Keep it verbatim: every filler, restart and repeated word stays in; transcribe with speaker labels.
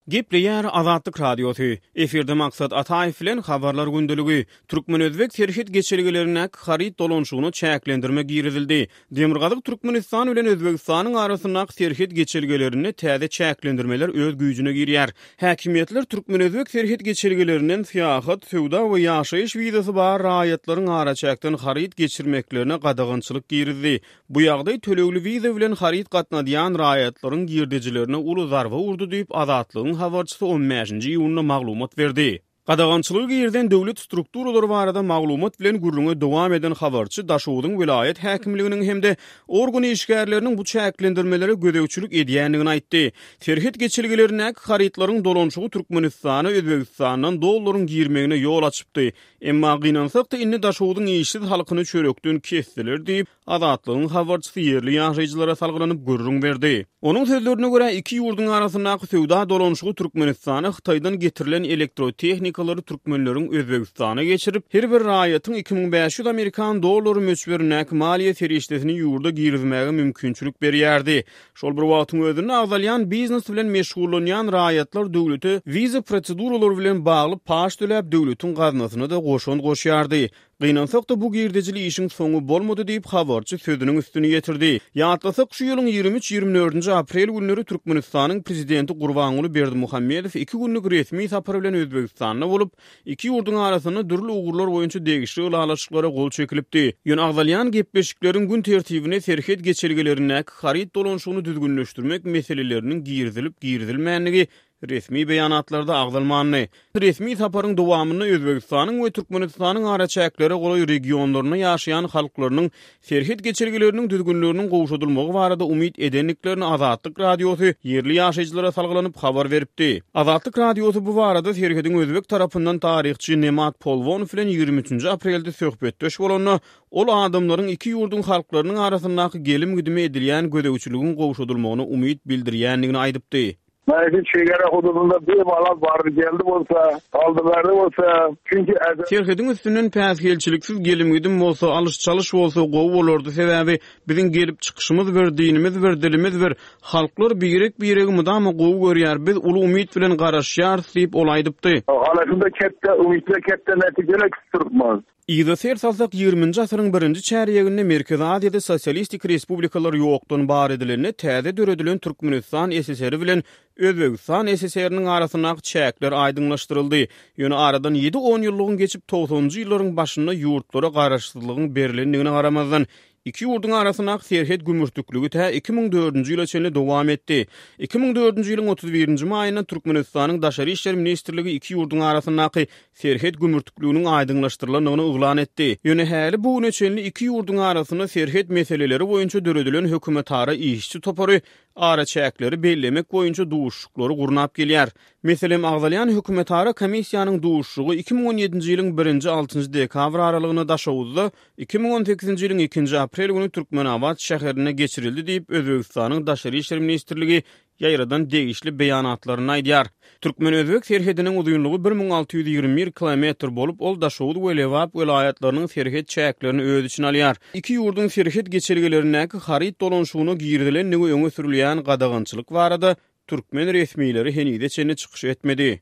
Speaker 1: Gepleýär Azatlyk Radiosy. Efirde Maksat Ataýew bilen Habarlar gündeligi. Türkmen-özbek serhet geçelgelerindäki haryt dolanyşygyna çäklendirme girizildi. Demirgazyk Türkmenistan bilen Özbegistanyň arasyndaky serhet geçelgelerinde täze çäklendirmeler öz güýjüne girýär. Häkimiýetler türkmen-özbek serhet geçelgelerinden syýahat, söwda we ýaşaýyş wizasy bar raýatlaryň araçäkden haryt geçirmeklerine gadagançylyk girizdi. Bu ýagdaý tölegli wiza bilen haryt gatnadýan raýatlaryň girdejilerine uly zarba urdy diýip, Azatlygyň habarçysy on bäşinji iýunda maglumat berdi. Gadagançylygy girizen döwlet strukturalary barada maglumat bilen gürrüňe dowam eden habarçy Daşogzuň welaýat häkimliginiň hem-de organ işgärleriniň bu çäklendirmelere gözegçilik edýändigini aýtdy. Serhet geçelgelerindäki harytlaryň dolanyşygy Türkmenistana Özbegistandan dollaryň girmegine ýol açypdy. Emma gynansak-da indi Daşogzuň işsiz halkyny çörekden kesdiler diýip, Azatlygyň habarçysy ýerli ýaşaýjylara salgylanyp gürrüň berdi. Onuň sözlerine görä, iki ýurduň arasyndaky söwda dolanyşygy Türkmenistana Hytaýdan getirilen elektrotehnikalary türkmenleriň Özbegistana geçirip, her bir raýatyň iki müň bäş ýüz amerikan dollary möçberindäki maliýe serişdesini ýurda girizmäge mümkinçilik berýärdi. Şol bir wagtyň özünde agzalýan biznes bilen meşgullanýan raýatlar döwlete wiza proseduralary bilen bagly paç töläp, döwletiň gaznasyna-da goşant goşýardy. Gynansak-da, bu girdejili işiň soňy bolmady diýip, habarçy sözüniň üstüni ýetirdi. Ýatlasak, şu ýylyň ýigrimi üç-ýigrimi dördünji aprel günleri Türkmenistanyň Prezidenti Gurbanguly Berdimuhamedow iki günlük resmi sapar bilen Özbegistanda bolup, iki ýurduň arasynda dürli ugurlar boýunça degişli ylalaşyklara gol çekilipdi. Ýöne agzalýan gepleşikleriň gün tertibine serhet geçelgelerindäki haryt dolanyşygyny düzgünleşdirmek meseleleriniň girizilip-girizilmändigi resmi beýanatlarda agzalmandy. Resmi saparyň dowamynda Özbegistanyň we Türkmenistanyň araçäklere golaý regionlarynda ýaşaýan halklarynyň serhet geçelgeleriniň düzgünleriniň gowşadylmagy barada umyt edendiklerini Azatlyk Radiosy ýerli ýaşaýjylara salgylanyp habar beripdi. Azatlyk Radiosy bu barada serhediň özbek tarapyndan taryhçy Nemat Polwonow bilen ýigrimi üçünji aprelde söhbetdeş bolanda, ol adamlaryň iki ýurduň halklarynyň arasyndaky gelim-gidime edilýän gözegçiligiň gowşadylmagyna umyt bildirýändigini aýdypdy.
Speaker 2: Belki çegara hududunda bir bala bardy geldi bolsa, aldy berdi bolsa, çünki
Speaker 1: Serhediň üstünden päsgelçiliksiz gelim-gidim bolsa, alyş-çalyş bolsa gowy bolardy, sebäbi biziň gelip çykyşymyz bir, dinimiz bir, dilimiz bir, halklar birek-biregi mydama gowy görýär, biz uly umyt bilen garaşýarys diýip, ol aýdypdy.
Speaker 2: Halasynda ketde umytly ketde netijeler kütürmez.
Speaker 1: Yza ser salsak, ýigriminji asyryň birinji çärýeginde Merkezi Aziýada sosialistik respublikalar ýokdan bar edilende täze döredilen Türkmenistan S S R bilen Özbegistan S S R-niň arasyndaky çäkler aýdyňlaşdyryldy. Ýöne aradan ýedi on ýyllygyň geçip togsanynjy ýyllaryň başynda ýurtlara garaşsyzlygyň berlendigine garamazdan, iki ýurduň arasyndaky serhet gümürtikligi tä iki müň dördünji ýyla çenli dowam etdi. Iki müň dördünji ýylyň otuz birinji maýynda Türkmenistanyň Daşary işler ministrligi iki ýurduň arasyndaky serhet gümürtikliginiň aýdyňlaşdyrylandygyny yglan etdi. Ýöne häli bu güne çenli iki ýurduň arasynda serhet meseleleri boýunça döredilen hökümetara işçi topary araçäkleri bellemek boýunça duşuşyklary gurnap gelýär. Meselem, agzalýan hökümetara komissiýanyň duşuşygy iki müň on ýedinji ýylyň birinji altynjy dekabr aralygynda Daşoguzda, iki müň on sekizinji ýylyň ikinji aprel güni Türkmenabat şäherinde geçirildi diýip, Özbegistanyň Daşary işler ministrligi ýaýradan degişli beýanatlarynda aýdýar. Türkmen-özbek serhediniň uzynlygy bir müň alty ýüz ýigrimi bir kilometr bolup, ol Daşoguz we Lebap welaýatlarynyň serhet çäklerini öz içine alýar. Iki ýurduň serhet geçelgelerindäki haryt dolanyşygyna girizilendigi öňe sürülýän gadagançylyk barada türkmen resmileri henize çenli çykyş etmedi.